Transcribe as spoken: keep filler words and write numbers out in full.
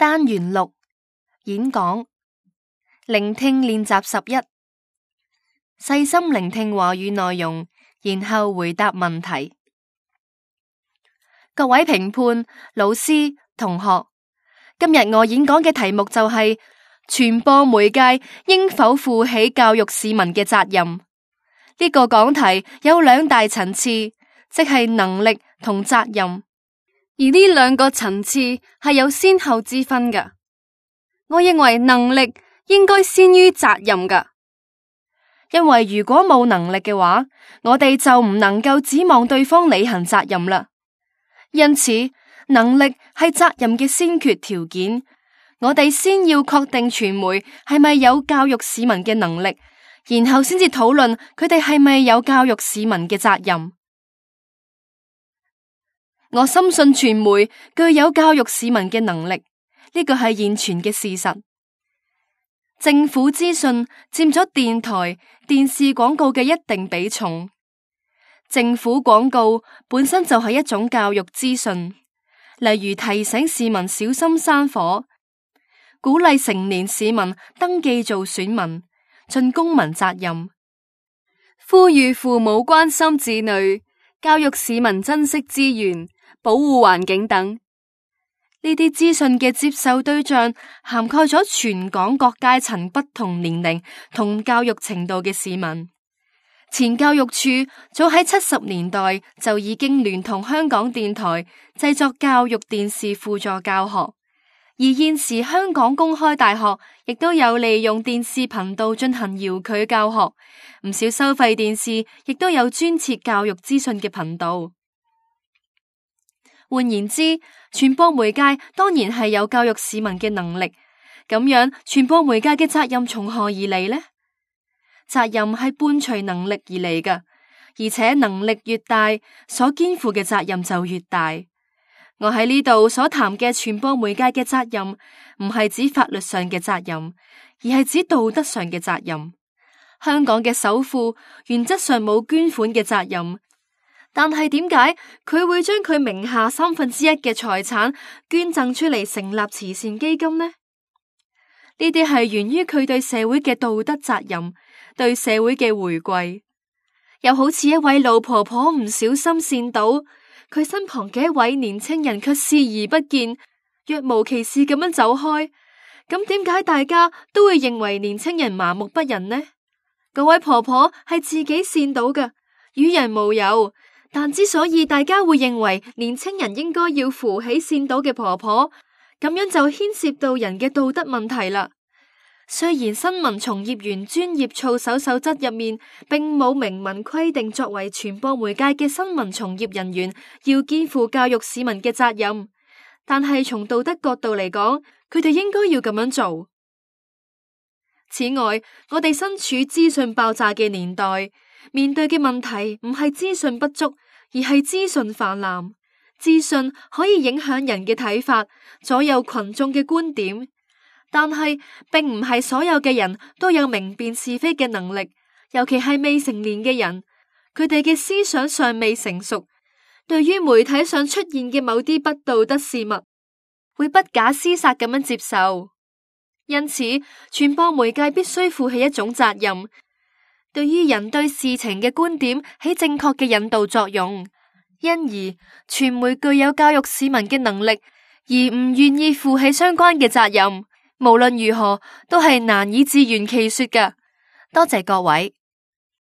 單元六演講聆聽練習十一，細心聆聽話語內容，然後回答問題。各位評判、老師、同學，今日我演講嘅題目就係傳播媒介應否負起教育市民嘅責任。呢個講題有兩大層次，即係能力同責任，而呢兩個層次係有先後之分㗎。我認為能力應該先於責任㗎，因為如果冇能力嘅話，我哋就唔能夠指望對方履行責任啦。因此，能力係責任嘅先決條件。我哋先要確定傳媒係咪有教育市民嘅能力，然後先至討論佢哋係咪有教育市民嘅責任。我深信傳媒具有教育市民嘅能力，呢個係現存嘅事實。政府資訊佔咗電台、電視廣告嘅一定比重。政府廣告本身就係一種教育資訊，例如提醒市民小心山火，鼓勵成年市民登記做選民，盡公民責任，呼籲父母關心子女，教育市民珍惜資源，保護環境等。呢啲資訊嘅接受對象涵蓋咗全港各階層、不同年齡同教育程度嘅市民。前教育處早喺七十年代就已經聯同香港電台製作教育電視輔助教學，而現時香港公開大學亦都有利用電視頻道進行遙距教學，唔少收費電視亦都有專設教育資訊嘅頻道。換言之，傳播媒介當然係有教育市民嘅能力，咁樣傳播媒介嘅責任從何而嚟呢？責任係伴隨能力而嚟㗎，而且能力越大，所肩負嘅責任就越大。我喺呢度所談嘅傳播媒介嘅責任，唔係指法律上嘅責任，而係指道德上嘅責任。香港嘅首富原則上冇捐款嘅責任，但係點解佢會將佢名下三分之一嘅財產捐贈出嚟成立慈善基金呢？呢啲係源於佢對社會嘅道德責任，對社會嘅回饋。又好似一位老婆婆唔小心跣倒，佢身旁嘅一位年青人卻視而不見，若無其事咁樣走開。咁點解大家都會認為年青人麻木不仁呢？嗰位婆婆係自己跣倒嘅，與人無尤。但之所以大家會認為年青人應該要扶起跣倒嘅婆婆，咁樣就牽涉到人嘅道德問題啦。雖然新聞從業員專業操守守則入面並冇明文規定，作為傳播媒介嘅新聞從業人員要肩負教育市民嘅責任，但係從道德角度嚟講，佢哋應該要咁樣做。此外，我哋身處資訊爆炸嘅年代，面對嘅問題唔係資訊不足，而係資訊泛濫。資訊可以影響人嘅睇法，左右群眾嘅觀點，但係並唔係所有嘅人都有明辨是非嘅能力，尤其係未成年嘅人，佢哋嘅思想尚未成熟，對於媒體上出現嘅某啲不道德事物，會不假思索咁樣接受。因此，傳播媒介必須負起一種責任，對於人對事情嘅觀點起正確嘅引導作用。因而，傳媒具有教育市民嘅能力，而唔願意負起相關嘅責任，無論如何都係難以自圓其說㗎。多謝各位。